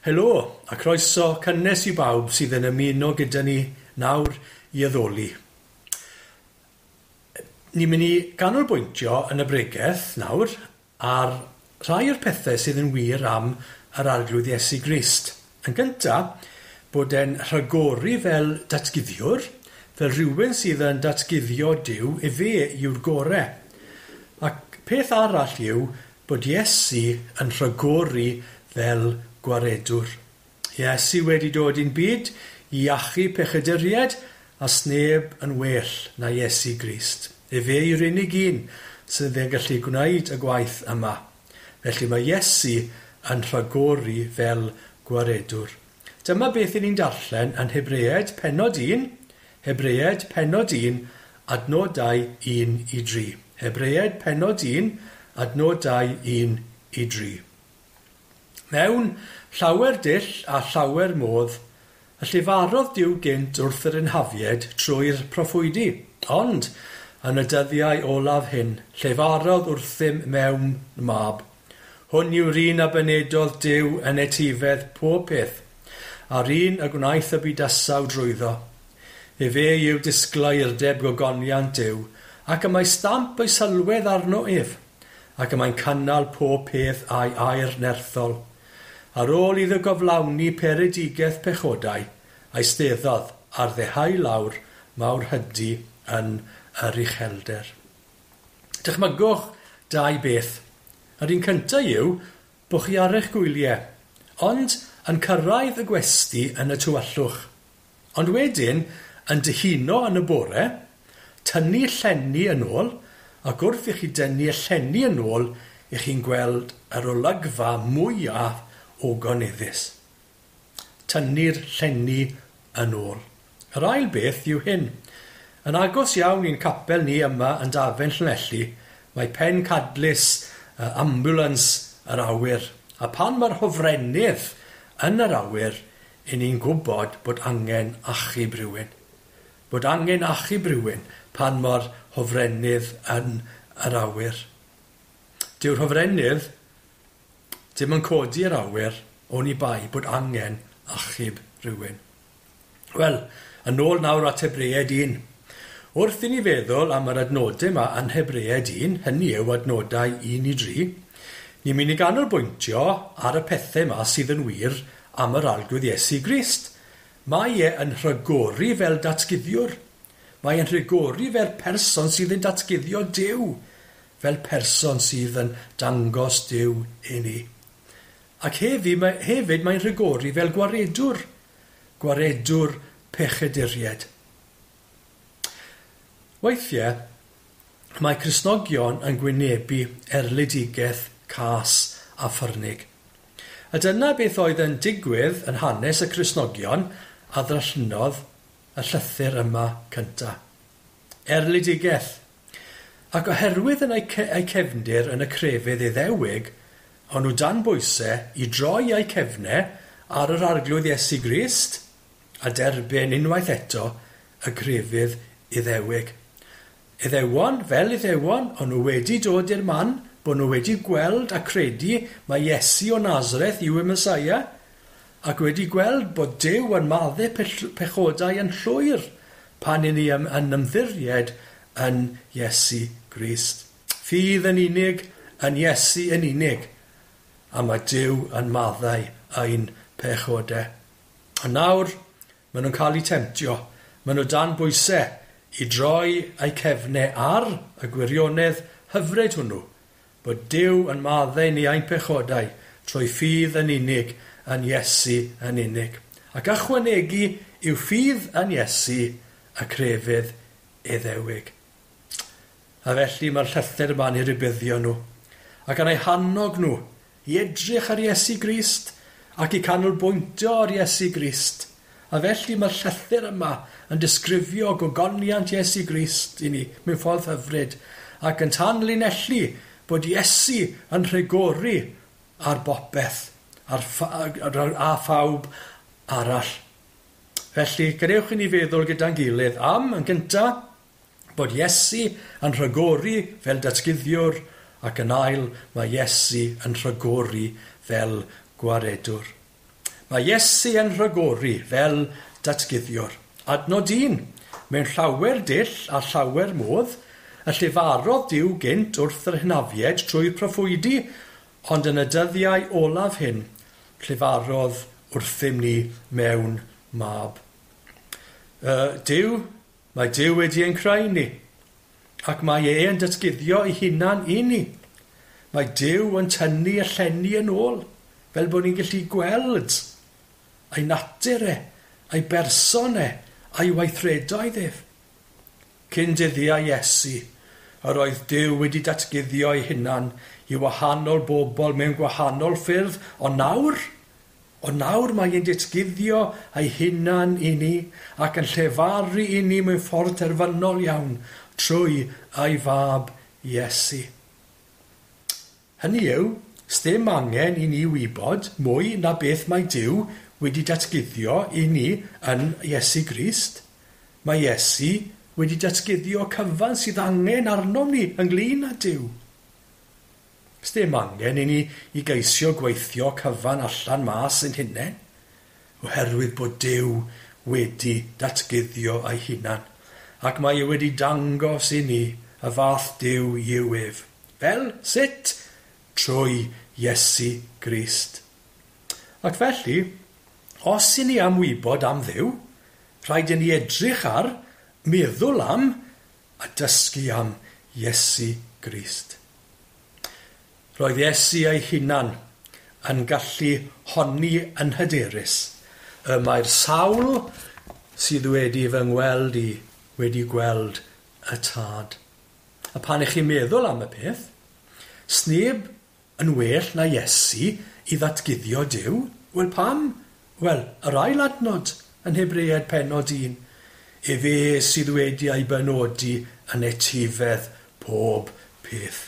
Helo, a croeso cynnes i bawb sydd yn ymuno gyda ni nawr i addoli. Ni'n mynd i ganolbwyntio yn y bregeth nawr ar rhai o'r pethau sydd yn wir am yr Arglwydd Iesu Grist. Yn gyntaf, bod e'n rhagori fel datguddiwr, fel rhywun sydd yn datguddio Duw, efe yw'r gorau. Ac peth arall yw bod Iesu yn rhagori fel gwaredwr. Iesu wedi dod i'n byd i achub pechaduriaid a sneb yn well na Iesu Grist. Efe yw'r unig un sydd yn gallu gwneud y gwaith yma. Felly mae Iesu yn rhagori fel gwaredwr. Dyma beth 'y ni'n darllen yn Hebreaid pennod 1, Hebreaid pennod 1, adnodau 1 i 3. Hebreaid pennod 1, adnodau 1 i 3. Mewn llawer dull a llawer modd, y llefarodd Duw gynt wrth yr hynafiaid trwy'r proffwydi, ond yn y dyddiau olaf hyn, llefarodd wrthym mewn mab. Hwn yw'r un a benedodd Duw yn etifedd pob peth, a'r un y gwnaeth y bydysawd drwyddo. Efe yw disgleirdeb gogoniant Duw, ac y mae stamp ei sylwedd arno ef, ac y mae'n cynnal pob peth a'i air nerthol. Ar ôl iddo gyflawni peredigaeth pechodau, eisteddodd ar ddehau lawr mawrhydi yn yr uchelder. Dychmygwch dau beth. Yr un cyntaf yw bod chi ar eich gwyliau, ond yn cyrraedd y gwesty yn y tywyllwch. Ond wedyn, yn dihuno yn y bore, tynnu llenni yn ôl, ac wrth i chi dynnu y llenni yn ôl, i chi'n gweld yr olygfa mwyaf ogoneddus. Tynnu'r llenni yn ôl. Yr ail beth yw hyn. Yn agos iawn i'n capel ni yma yn Dafen Llanelli, mae pencadlys ambulance yr awyr. A pan mae'r hofrennydd yn yr awyr, 'y ni'n gwybod bod angen achub rhywun. Bod angen achub rhywun pan mae'r hofrennydd yn yr awyr. Dyw'r hofrennydd ddim yn codi i'r awyr oni bai bod angen achub rhywun. Wel, yn ôl nawr at Hebreaid 1. Wrth i ni feddwl am yr adnodau yma yn Hebreaid 1, hynny yw adnodau 1 i 3, ni'n mynd i ganolbwyntio ar y pethau yma sydd yn wir am yr Arglwydd Iesu Grist. Mae e yn rhagori fel datguddiwr. Mae e'n rhagori fel person sydd yn datguddio Duw, fel person sydd yn dangos Duw i ni. Ac hefyd, hefyd mae'n rhagori fel gwaredwr, gwaredwr pechaduriaid. Weithiau, mae Cristnogion yn gwynebu erledigaeth cas a ffyrnig. A dyna beth oedd yn digwydd yn hanes y Cristnogion a ddarllenodd y llythyr yma cyntaf. Erledigaeth. Ac oherwydd yn eu cefndir yn y crefydd Iddewig, o'n nhw dan bwysau i droi eu cefnau ar yr Arglwydd Iesu Grist a derbyn unwaith eto y crefydd Iddewig. Iddewon, fel Iddewon, o'n nhw wedi dod i'r man bod nhw wedi gweld a credu mai Iesu o Nazareth yw y Meseia, ac wedi gweld bod Duw yn maddau pechodau yn llwyr pan 'y ni yn ymddiried yn Iesu Grist. Ffydd yn unig, yn Iesu yn unig, a mae Duw yn maddau ein pechodau. A nawr, maen nhw'n cael eu temtio, maen nhw dan bwysau i droi eu cefnau ar y gwirionedd hyfryd hwnnw, bod Duw yn maddau ni ein pechodau trwy ffydd yn unig, yn Iesu yn unig. Ac ychwanegu i'w ffydd yn Iesu y crefydd Iddewig. A felly mae'r llythyr yma'n eu rhybuddio nhw, ac yn eu hannog nhw i edrych ar Iesu Grist ac i canolbwyntio ar Iesu Grist. A felly mae'r llythyr yma yn disgrifio gogoniant Iesu Grist i ni mewn ffordd hyfryd ac yn tanlinellu bod Iesu yn rhagori ar bopeth a phawb arall. Felly, gadewch i ni feddwl gyda'n gilydd am, yn gyntaf, bod Iesu yn rhagori fel datguddiwr, ac yn ail, mae Iesu yn rhagori fel gwaredwr. Mae Iesu yn rhagori fel datguddiwr. Adnod 1. Mewn llawer dull a llawer modd, y llefarodd Duw gynt wrth yr hynafiaid trwy'r proffwydi, ond yn y dyddiau olaf hyn, llefarodd wrthym ni mewn mab. Duw, mae Duw wedi ein creu ni, ac mae e yn datguddio ei hunan i ni. Mae Duw yn tynnu y llenni yn ôl, fel bod ni'n gallu gweld ei natur e, ei berson e, a'i weithredoedd ef. Cyn dyddiau Iesu, yr oedd Duw wedi datguddio ei hunan i wahanol bobl mewn gwahanol ffyrdd, ond nawr mae e'n datguddio ei hunan i ni ac yn llefaru i ni mewn ffordd terfynol iawn trwy ei fab Iesu. Hynny yw, sdim angen i ni wybod mwy na beth mae Duw wedi datguddio i ni yn Iesu Grist. Mae Iesu wedi datguddio cyfan sydd angen arnom ni ynglyn â Duw. Sdim angen i ni i geisio gweithio cyfan allan mas ein hunain, oherwydd bod Duw wedi datguddio ei hunan, ac mae e wedi dangos i ni y fath Duw yw ef. Fel sut? Trwy Iesu Grist. Ac felly, os i ni am wybod am Dduw, rhaid i ni edrych ar, meddwl am, a dysgu am Iesu Grist. Roedd Iesu ei hunan yn gallu honni yn hyderus. Y mae'r sawl sydd wedi fy ngweld i wedi gweld y Tad. A pan ych chi'n meddwl am y peth, sneb yn well na Iesu i ddatguddio Duw. Wel pam? Wel, yr ail adnod yn Hebreaid pennod 1. Efe sydd wedi ei benodi yn etifedd pob peth.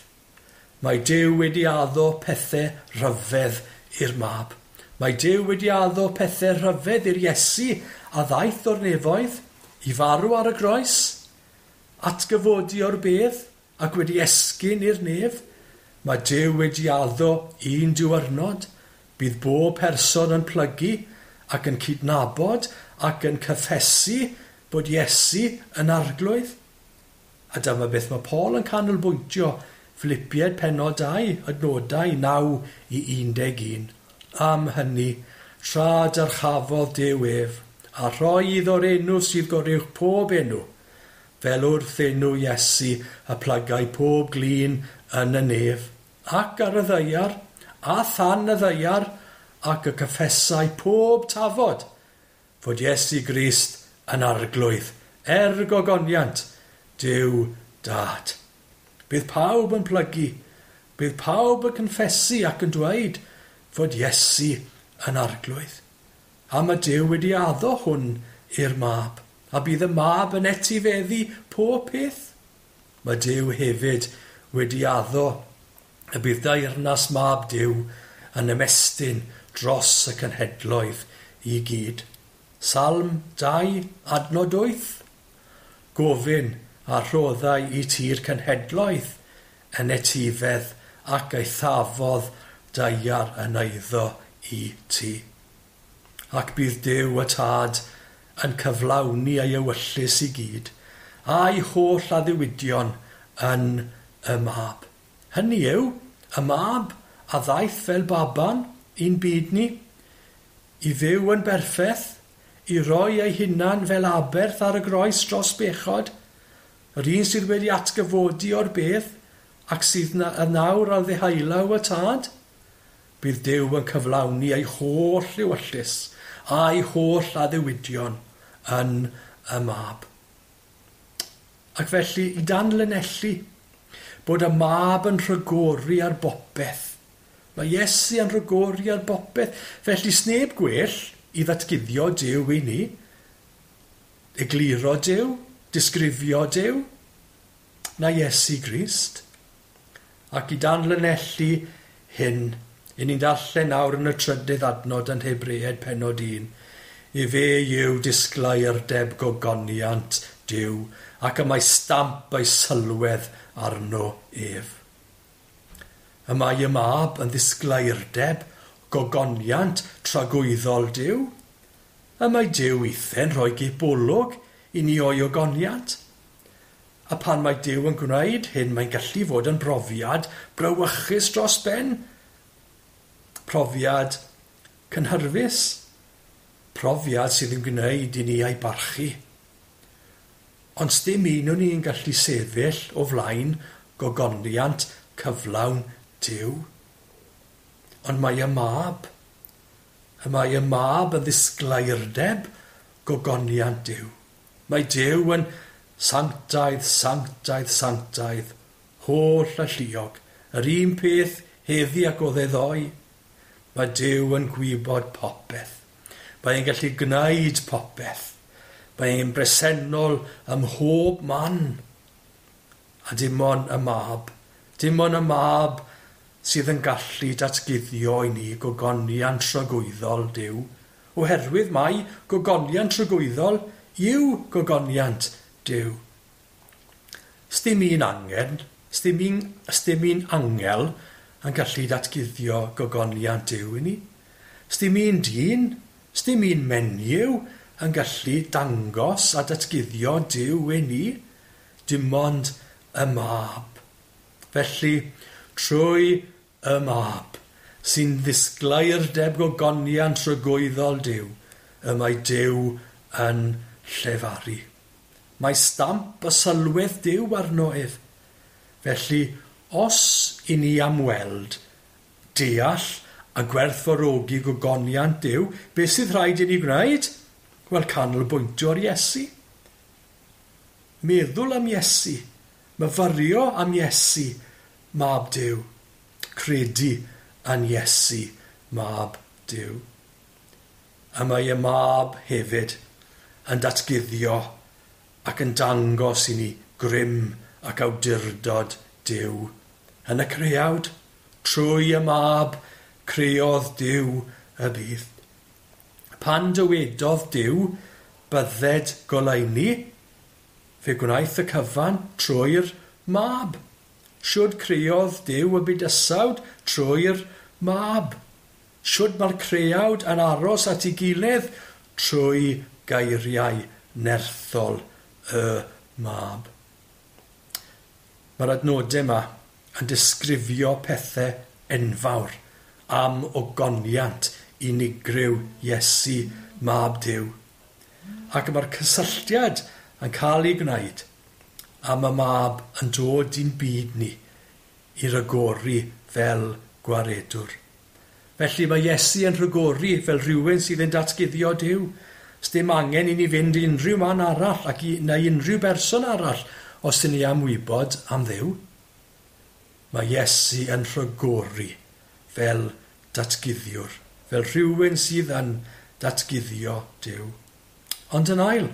Mae Duw wedi addo pethau rhyfedd i'r mab. Mae Duw wedi addo pethau rhyfedd i'r Iesu a ddaeth o'r nefoedd i farw ar y groes, atgyfodi o'r bedd ac wedi esgyn i'r nef. Mae Duw wedi addo un diwrnod, bydd bob person yn plygu ac yn cydnabod ac yn cyffesu bod Iesu yn arglwydd. A dyma beth mae Paul yn canolbwyntio, Philippiaid pennod 2, adnodau 9 i 11. Am hynny, tra dyrchafodd Duw ef, a rhoi iddo'r enw sydd goruwch pob enw, fel wrth enw Iesu y plygai pob glin yn y nef, ac ar y ddaear, a than y ddaear, ac y cyffesai pob tafod, fod Iesu Grist yn arglwydd, er gogoniant, Duw Dad. Bydd pawb yn plygu, bydd pawb yn confesu ac yn dweud fod Iesu yn arglwydd. A mae Duw wedi addo hwn i'r mab, a bydd y mab yn etifeddu pob peth. Mae Duw hefyd wedi addo y bydd deyrnas mab Duw yn ymestyn dros y cenhedloedd i gyd. Salm 2, adnod 8. Gofyn a rhoddai i ti'r cenhedloedd yn etifedd ac eithafodd daear yn eiddo i ti. Ac bydd Duw y Tad yn cyflawni ei ewyllys i gyd, a'i holl addewidion yn y mab. Hynny yw, y mab a ddaeth fel baban i'n byd ni, i fyw yn berffaith, i roi ei hunan fel aberth ar y groes dros bechod, yr un sydd wedi atgyfodi o'r bedd ac sydd nawr ar ddeheullaw y Tad, bydd Duw yn cyflawni ei holl ewyllys a'i holl addewidion yn y mab. Ac felly, i danlinellu bod y mab yn rhagori ar bopeth. Mae Iesu yn rhagori ar bopeth. Felly, sneb gwell i ddatguddio Duw i ni, egluro Duw, disgrifio Duw, na Iesu Grist. Ac i danlinellu hyn, i ni'n darllen nawr yn y trydydd adnod yn Hebreaid pennod 1. Efe yw disgleirdeb gogoniant Duw, ac y mae stamp ei sylwedd arno ef. Y mae y mab yn ddisgleirdeb gogoniant tragwyddol Duw. A mae Duw weithiau'n rhoi gipolwg i ni o'i ogoniant. A pan mae Duw yn gwneud hyn, mae'n gallu fod yn brofiad brawychus dros ben. Profiad cynhyrfus. Profiad sydd yn gwneud i ni ei barchu. Ond sdim un o'n ni'n gallu sefyll o flaen gogoniant cyflawn Duw. Ond mae y mab. Y mae y mab yn ddisgleirdeb gogoniant Duw. Mae Duw yn sanctaidd, sanctaidd, sanctaidd, holl alluog. Yr un peth heddi ac oedd e ddoe. Mae Duw yn gwybod popeth. Mae e'n gallu gwneud popeth. Mae e'n bresennol ym mhob man. A dim ond y mab. Dim ond y mab sydd yn gallu datguddio i ni gogoniant tragwyddol Duw, oherwydd mai gogoniant tragwyddol yw gogoniant Duw. Sdim un angen, sdim un angel yn gallu datguddio gogoniant Duw i ni. Sdim un dyn, sdim un menyw yn gallu dangos a datguddio Duw i ni. Dim ond y mab. Felly, trwy y mab, sy'n ddisgleirdeb gogoniant tragwyddol Duw, y mae Duw yn llefaru. Mae stamp y sylwedd Duw arno ef. Felly, os i ni am weld, deall a gwerthfawrogi gogoniant Duw, beth sydd rhaid i ni gwneud? Wel, canolbwyntio ar Iesu. Meddwl am Iesu, myfyrio am Iesu, mab Duw. Credu yn Iesu, mab Duw. A mae y mab hefyd yn datguddio ac yn dangos i ni grym ac awdurdod Duw. Yn y creawd, trwy y mab, creodd Duw y byd. Pan dywedodd Duw, bydded goleuni, fe gwnaeth y cyfan trwy'r mab. Shwd creodd Duw y bydysawd trwy'r mab. Shwd mae'r creawd yn aros at ei gilydd trwy geiriau nerthol y mab. Mae'r adnodau yma yn disgrifio pethau enfawr am ogoniant unigryw Iesu, mab Duw. Ac mae'r cysylltiad yn cael ei gwneud am y mab yn dod i'n byd ni i ragori fel gwaredwr. Felly mae Iesu yn rhagori fel rhywun sydd yn datguddio Duw. Sdim angen i ni fynd i unrhyw man arall ac neu unrhyw berson arall os ydyn ni am wybod am Dduw. Mae Iesu yn rhagori fel datguddiwr, fel rhywun sydd yn datguddio Duw. Ond yn ail,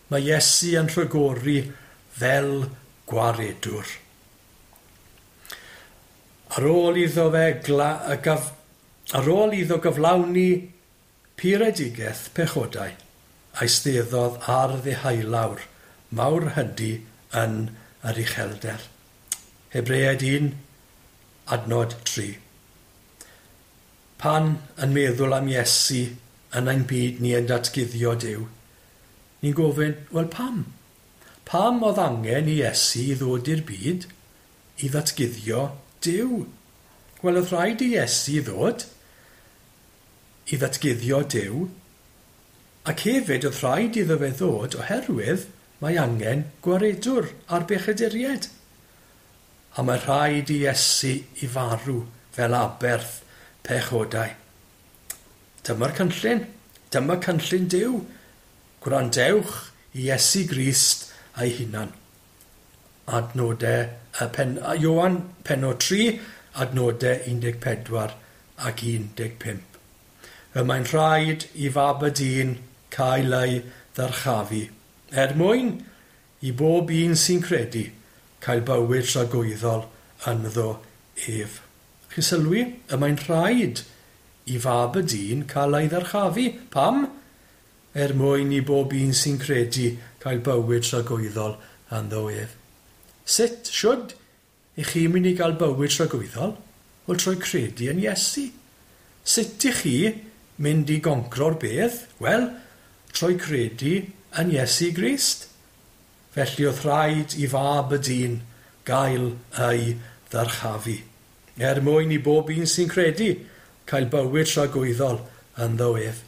mae Iesu yn rhagori fel gwaredwr. Ar ôl iddo fe ar ôl iddo gyflawni puredigaeth pechodau, eisteddodd ar ddeheulawr mawr hydi yn yr uchelder. Hebreaid 1, adnod 3. Pan yn meddwl am Iesu yn ein byd ni yn datguddio Duw, ni'n gofyn, wel pam? Pam oedd angen i Iesu i ddod i'r byd i ddatguddio Duw? Wel, oedd rhaid i Iesu ddod i ddatguddio Duw, ac hefyd oedd rhaid iddo fe ddod oherwydd mae angen gwaredwr ar bechaduriaid. A mae rhaid i Iesu i farw fel aberth pechodau. Dyma'r cynllun. Dyma cynllun Duw. Gwrandewch i Iesu Grist a'i hunan. Adnodau, Ioan pennod 3, adnodau 14 ac 15. Y mae'n rhaid i fab y dyn cael ei ddyrchafu, er mwyn i bob un sy'n credu cael bywyd tragwyddol ynddo ef. Chi'n sylwi? Y mae'n rhaid i fab y dyn cael ei ddyrchafu. Pam? Er mwyn i bob un sy'n credu cael bywyd tragwyddol ynddo ef. Sut, siwd, i chi mynd i gael bywyd tragwyddol? Wel, trwy credu yn Iesu. Sut i chi mynd i goncro'r bedd? Wel, trwy credu yn Iesu Grist. Felly oedd rhaid i fab y dyn gael ei ddyrchafu, er mwyn i bob un sy'n credu cael bywyd tragwyddol ynddo ef.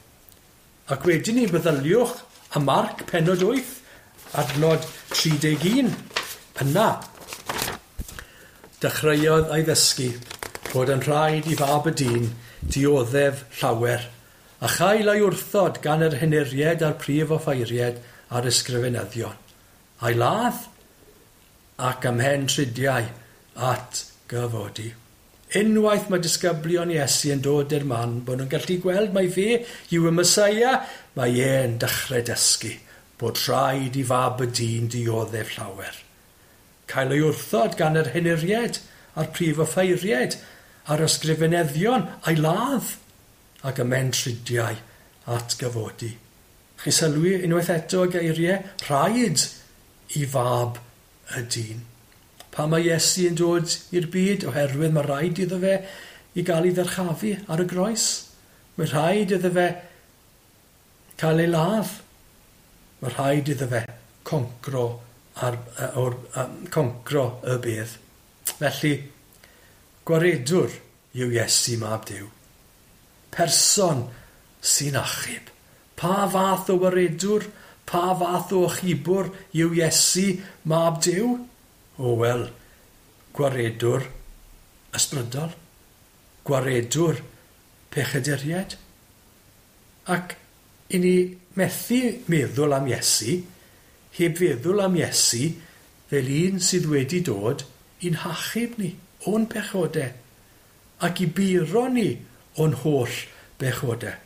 Ac wedyn ni meddyliwch am Marc pennod 8, adnod 31. Yna, dechreuodd ei ddysgu bod yn rhaid i fab y dyn dioddef llawer, a chael ei wrthod gan yr henuriaid a'r prif offeiriaid a'r ysgrifenyddion, a'i ladd ac ymhen tridiau at gyfodi. Unwaith mae disgyblion Iesu yn dod i'r man bod nhw'n gallu gweld mai fe yw y Meseia, mae e'n dechrau dysgu bod rhaid i fab y dyn dioddef llawer. Cael ei wrthod gan yr henuriaid a'r prif offeiriaid a'r ysgrifenyddion, a'i ladd ac ymhen tridiau at gyfodi. Chi sylwi unwaith eto y geiriau, rhaid i fab y dyn. Pan mae Iesu yn dod i'r byd, oherwydd mae rhaid iddo fe i gael ei ddyrchafu ar y groes. Mae rhaid iddo fe cael ei ladd. Mae rhaid iddo fe concro, ar, or, concro y bedd. Felly, gwaredwr yw Iesu mab Duw. Person sy'n achub. Pa fath o waredwr, pa fath o achubwr yw Iesu mab Duw? O wel, gwaredwr ysbrydol, gwaredwr pechaduriaid. Ac i ni methu meddwl am Iesu, heb feddwl am Iesu fel un sydd wedi dod i'n hachub ni o'n pechodau ac i buro ni o'n holl bechodau.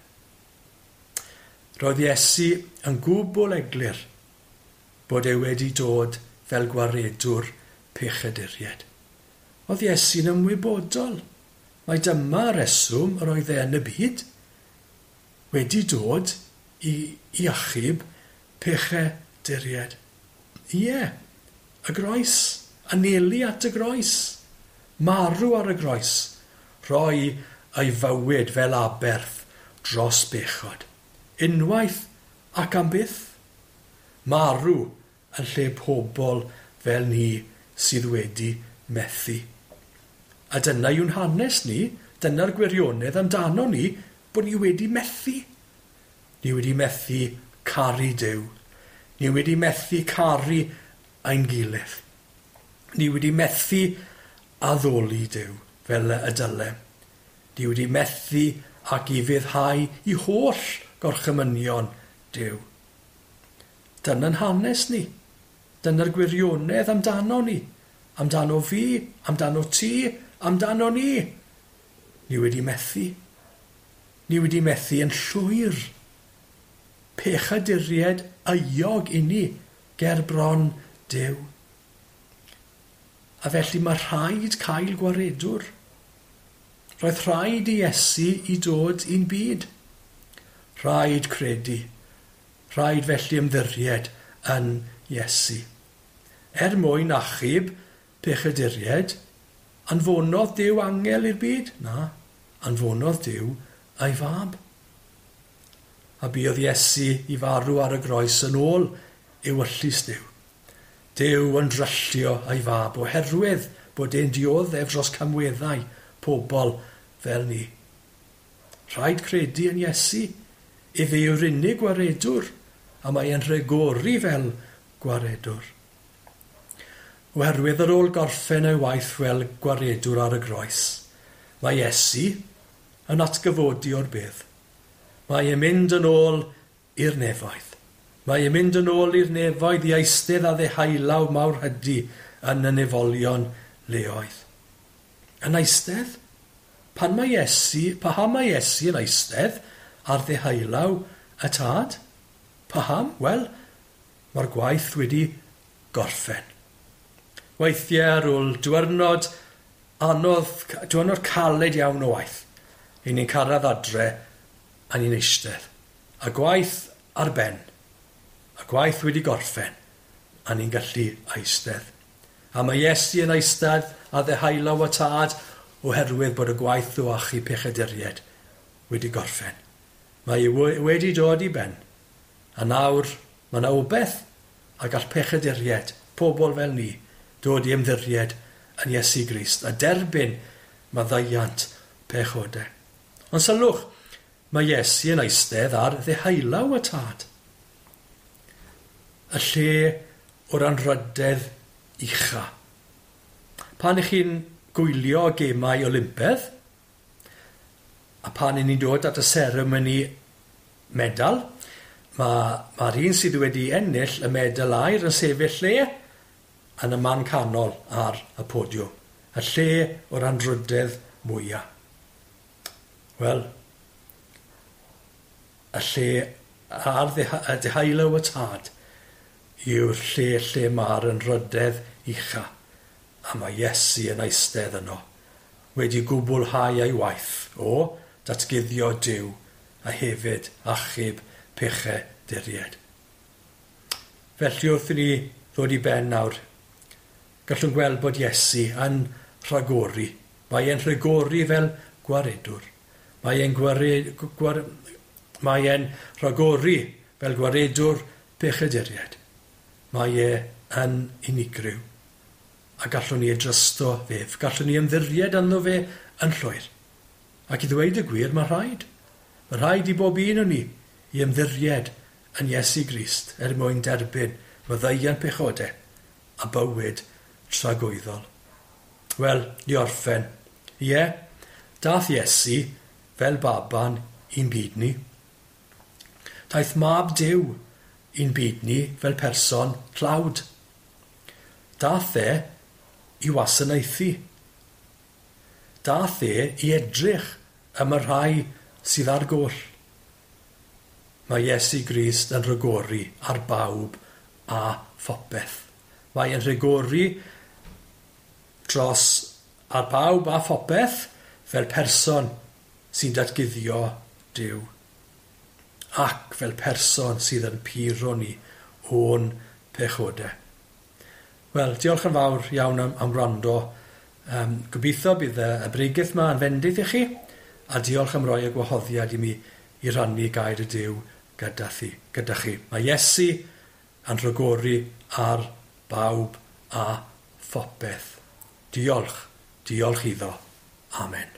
Roedd Iesu yn gwbl eglur bod e wedi dod fel gwaredwr pechaduriaid. Oedd Iesu'n ymwybodol mai dyma reswm yr oedd e yn y byd, wedi dod i achub pechaduriaid. Ie, y groes, anelu at y groes, marw ar y groes, rhoi ei fywyd fel aberth dros bechod. Unwaith ac am byth, marw yn lle pobl fel ni sydd wedi methu. A dyna yw'n hanes ni, dyna'r gwirionedd amdano ni, bod ni wedi methu. Ni wedi methu caru Duw. Ni wedi methu caru ein gilydd. Ni wedi methu addoli Duw fel y dylem. Ni wedi methu ac i fyddhau i holl gorchymynion Duw. Dyna'n hanes ni. Dyna'r gwirionedd amdano ni. Amdano fi, amdano ti, amdano ni. Ni wedi methu. Ni wedi methu yn llwyr. Pechaduriaid euog i ni ger bron Duw. A felly mae rhaid cael gwaredwr. Roedd rhaid i Iesu i dod i'n byd. Rhaid credu. Rhaid felly ymddiried yn Iesu. Er mwyn achub pechaduriaid, anfonodd Duw angel i'r byd? Na, anfonodd Duw ei fab. A buodd Iesu i farw ar y groes yn ôl ewyllys Duw. Duw yn dryllio ei fab oherwydd bod e'n dioddef dros camweddau pobl fel ni. Rhaid credu yn Iesu. Efe yw'r unig gwaredwr, a mae e'n rhagori fel gwaredwr. Oherwydd ar ôl gorffen ei waith fel gwaredwr ar y groes, mae Iesu yn atgyfodi o'r bedd. Mae e'n mynd yn ôl i'r nefoedd. Mae e'n mynd yn ôl i'r nefoedd i eistedd a ddehailaw mawr hydi yn y nefolion leoedd. Yn eistedd? Pan mae Iesu, paham mae Iesu yn eistedd ar ddehailaw y tad? Paham? Wel, mae'r gwaith wedi gorffen. Weithiau ar ôl diwrnod anodd, diwrnod caled iawn o waith, i ni'n cyrraedd adre a ni'n eistedd. A gwaith ar ben, a gwaith wedi gorffen, a ni'n gallu eistedd. A mae Iesu yn eistedd a ddehailaw y tad oherwydd bod y gwaith o achub pechaduriaid wedi gorffen. Mae e wedi dod i ben. A nawr mae yna obaith a gall pechaduriaid, pobl fel ni, dod i ymddiried yn Iesu Grist a derbyn maddeuant pechodau. Ond sylwch, mae Iesu yn eistedd ar ddeheulaw y Tad. Y lle o'r anrhydedd ucha. Pan ych chi'n gwylio gemau Olympedd, a pan 'yn ni'n dod at y seremoni medal, mae'r un sydd wedi ennill y medal aur yn sefyll lle yn y man canol ar y podiwm. Y lle o'r anrhydedd mwyaf. Wel, y lle ar y deheulaw y Tad yw'r lle lle mae'r anrhydedd ucha, a mae Iesu yn eistedd yno, wedi gwblhau ei waith o datguddio Duw a hefyd achub pechaduriaid. Felly wrth i ni ddod i ben nawr, gallwn gweld bod Iesu yn rhagori. Mae e'n rhagori fel gwaredwr. Mae e'n mae e'n rhagori fel gwaredwr pechaduriaid. Mae e yn unigryw. A gallwn ni ei drysto fe. Gallwn ni ymddiried ynddo fe yn llwyr. Ac i ddweud y gwir, mae rhaid. Mae rhaid i bob un o ni i ymddiried yn Iesu Grist er mwyn derbyn maddeuant pechodau a bywyd tragwyddol. Wel, i orffen. Ie, dath Iesu fel baban i'n byd ni. Daeth mab Duw i'n byd ni fel person tlawd. Dath e i wasanaethu. Dath e i edrych am y rhai sydd ar goll. Mae Iesu Grist yn rhagori ar bawb a phopeth. Mae e'n rhagori dros ar bawb a phopeth fel person sy'n datguddio Duw ac fel person sydd yn puro ni o'n pechodau. Wel, diolch yn fawr iawn am wrando. Gobeithio bydd y bregeth yma yn fendith i chi, a diolch am roi y gwahoddiad i mi i rannu gair y Duw gyda chi. Mae Iesu yn rhagori ar bawb a phopeth. Diolch, diolch iddo. Amen.